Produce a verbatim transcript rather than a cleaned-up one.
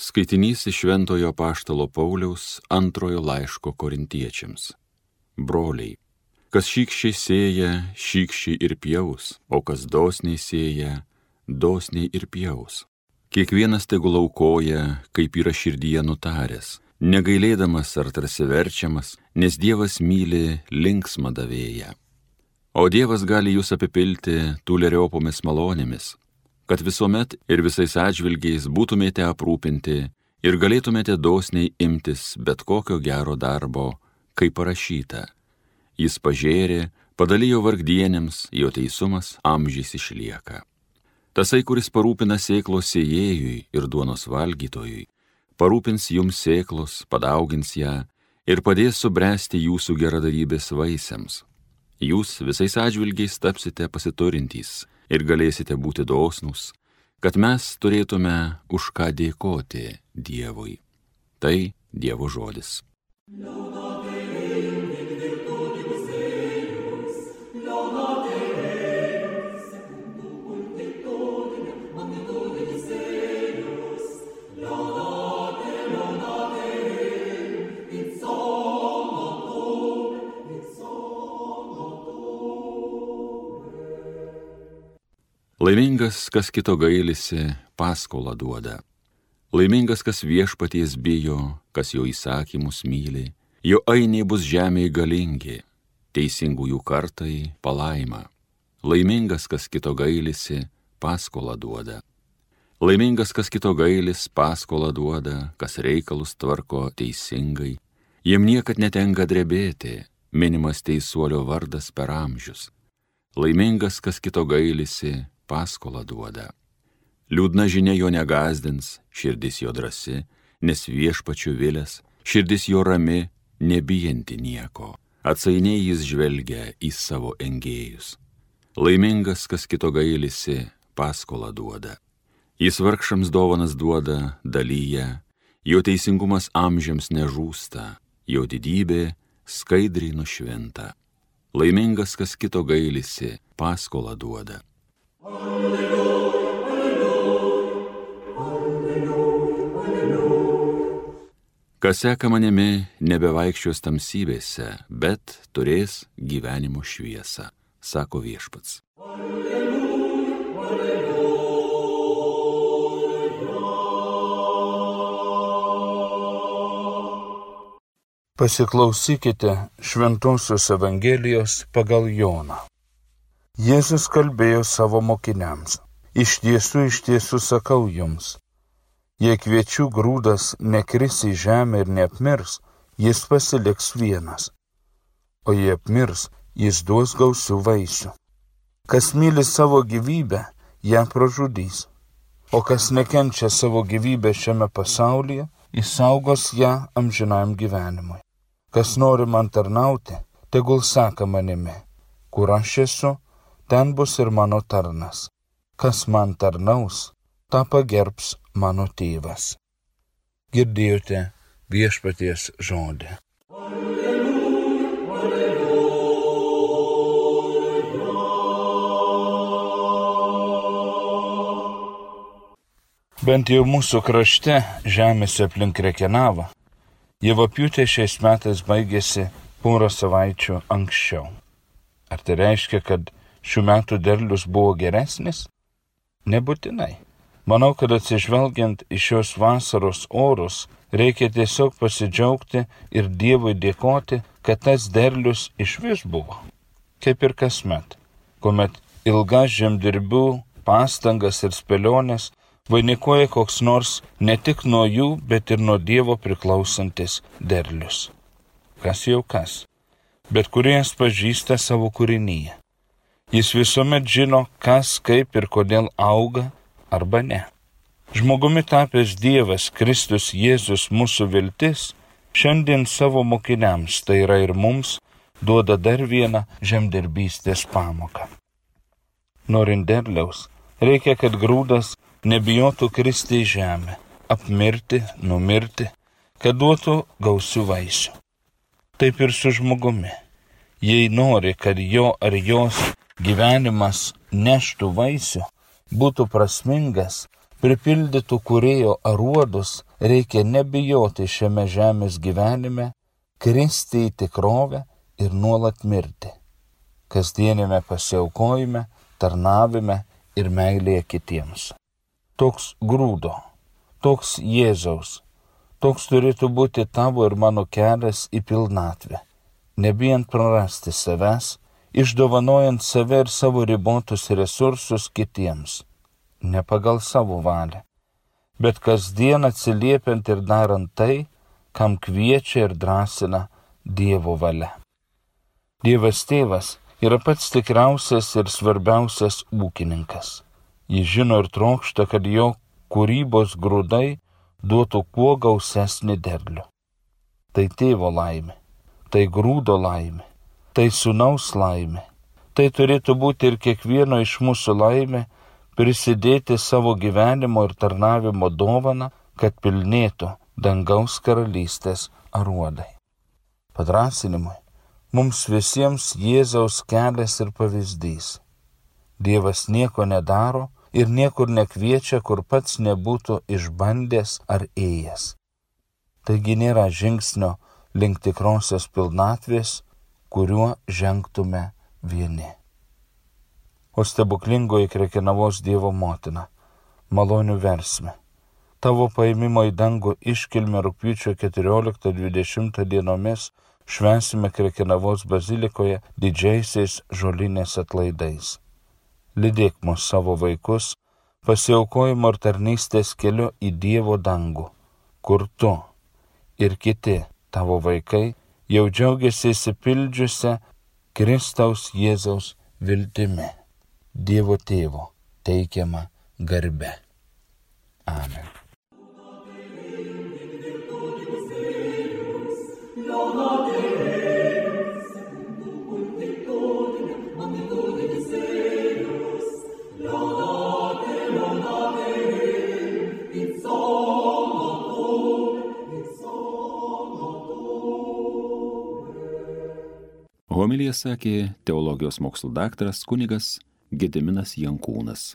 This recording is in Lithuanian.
Skaitinys iš Šventojo Apaštalo Pauliaus antrojo laiško Korintiečiams. Broliai, kas šykščiai sėja, šykščiai ir pjaus, o kas dosniai sėja, dosniai ir pjaus. Kiekvienas tegul aukoja, kaip yra širdyje nutaręs, negailėdamas ar tarsi verčiamas, nes Dievas myli linksmą davėją. O Dievas gali jūs apipilti tūleriopomis malonėmis, kad visuomet ir visais atžvilgiais būtumėte aprūpinti ir galėtumėte dosniai imtis bet kokio gero darbo, kaip parašyta. Jis pažėrė, padalijo vargdienėms, jo teisumas amžiais išlieka. Tasai, kuris parūpina sėklos sėjėjui ir duonos valgytojui, parūpins jums sėklos, padaugins ją ir padės subręsti jūsų geradarybės vaisiams. Jūs visais atžvilgiais tapsite pasiturintys ir galėsite būti dosnūs, kad mes turėtume už ką dėkoti Dievui. Tai Dievo žodis. Laimingas, kas kito gailisi, paskolą duoda. Laimingas, kas viešpaties bijo, kas jo įsakymus myli, jo ainiai bus žemėje galingi, teisingųjų kartai palaima. Laimingas, kas kito gailisi, paskolą duoda. Laimingas, kas kito gailis, paskolą duoda, kas reikalus tvarko teisingai, jiem niekad netenka drebėti, minimas teisuolio vardas per amžius. Laimingas, kas kito gailisi, paskolą duoda. Liūdna žinia jo negazdins, širdis jo drąsi, nes viešpačiu vilės, širdis jo rami, nebijanti nieko. Atsainiai jis žvelgia į savo engėjus. Laimingas, kas kito gailisi, paskolą duoda. Jis vargšams dovanas duoda, dalyja, jo teisingumas amžiams nežūsta, jo didybė skaidriai nušvinta. Laimingas, kas kito gailisi, paskolą duoda. Alleluja, alleluja, alleluja, alleluja. Kas seka manimi, nebevaikščios tamsybėse, bet turės gyvenimo šviesą, sako viešpats. Alleluja, alleluja. Pasiklausykite Šventosios Evangelijos pagal Joną. Jėzus kalbėjo savo mokiniams: iš tiesų, iš tiesų sakau jums, jei kviečių grūdas nekris į žemę ir neapmirs, jis pasiliks vienas, o jei apmirs, jis duos gausių vaisių. Kas myli savo gyvybę, ją pražudys, o kas nekenčia savo gyvybę šiame pasaulyje, išsaugos ją amžinam gyvenimui. Kas nori man tarnauti, tegul seka manimi, kur aš esu, ten bus ir mano tarnas. Kas man tarnaus, tą pagerbs mano tėvas. Girdėjote viešpaties žodį. Alleluja, alleluja. Bent jau mūsų krašte, žemėse aplink Krekenavą, javapjūtė šiais metais baigėsi porą savaičių anksčiau. Ar tai reiškia, kad šių metų derlius buvo geresnis? Nebūtinai. Manau, kad atsižvelgiant į šios vasaros orus, reikia tiesiog pasidžiaugti ir Dievui dėkoti, kad tas derlius išvis buvo. Kaip ir kasmet, kuomet ilgas žemdirbių pastangas ir spėlionės vainikuoja koks nors ne tik nuo jų, bet ir nuo Dievo priklausantis derlius. Kas jau kas, bet kūrėjas pažįsta savo kūrinyje. Jis visuomet žino, kas, kaip ir kodėl auga arba ne. Žmogumi tapęs Dievas, Kristus Jėzus mūsų viltis, šiandien savo mokiniams, tai yra ir mums, duoda dar vieną žemdirbystės pamoką. Norint derliaus, reikia, kad grūdas nebijotų kristi į žemę, apmirti, numirti, kad duotų gausių vaisių. Taip ir su žmogumi. Jei nori, kad jo ar jos gyvenimas neštų vaisių, būtų prasmingas, pripildytų kūrėjo aruodus, reikia nebijoti šiame žemės gyvenime, kristi į tikrovę ir nuolat mirti. Kasdienėme pasiaukojime, tarnavime ir meilėje kitiems. Toks grūdo, toks Jėzaus, toks turėtų būti tavo ir mano kelias į pilnatvę, nebijant prarasti savęs, išdovanojant save ir savo ribotus resursus kitiems, ne pagal savo valią, bet kasdien atsiliepiant ir darant tai, kam kviečia ir drąsina Dievo valia. Dievas Tėvas yra pats tikriausias ir svarbiausias ūkininkas. Jis žino ir trokšta, kad jo kūrybos grūdai duotų kuo gausesnį derlių. Tai tėvo laimė, tai grūdo laimė, tai sūnaus laimė. Tai turėtų būti ir kiekvieno iš mūsų laimė prisidėti savo gyvenimo ir tarnavimo dovaną, kad pilnėtų dangaus karalystės aruodai. Padrąsinimui mums visiems Jėzaus kelias ir pavyzdys. Dievas nieko nedaro ir niekur nekviečia, kur pats nebūtų išbandęs ar ėjęs. Taigi nėra žingsnio link tikrosios pilnatvės, kuriuo žengtume vieni. O stebuklingoji Krekenavos Dievo motina, malonių versme, tavo paėmimo į dangų iškilmę rugpjūčio keturioliktą dvidešimtą dienomis švęsime Krekenavos bazilikoje didžiaisiais žolinės atlaidais. Lydėk mus savo vaikus pasiaukojimo ir tarnystės keliu į Dievo dangų, kur tu ir kiti tavo vaikai jau džiaugiasi įsipildžiusią Kristaus Jėzaus viltimi, Dievo Tėvo teikiama garbe. Amen. Homiliją sakė teologijos mokslų daktaras kunigas Gediminas Jankūnas.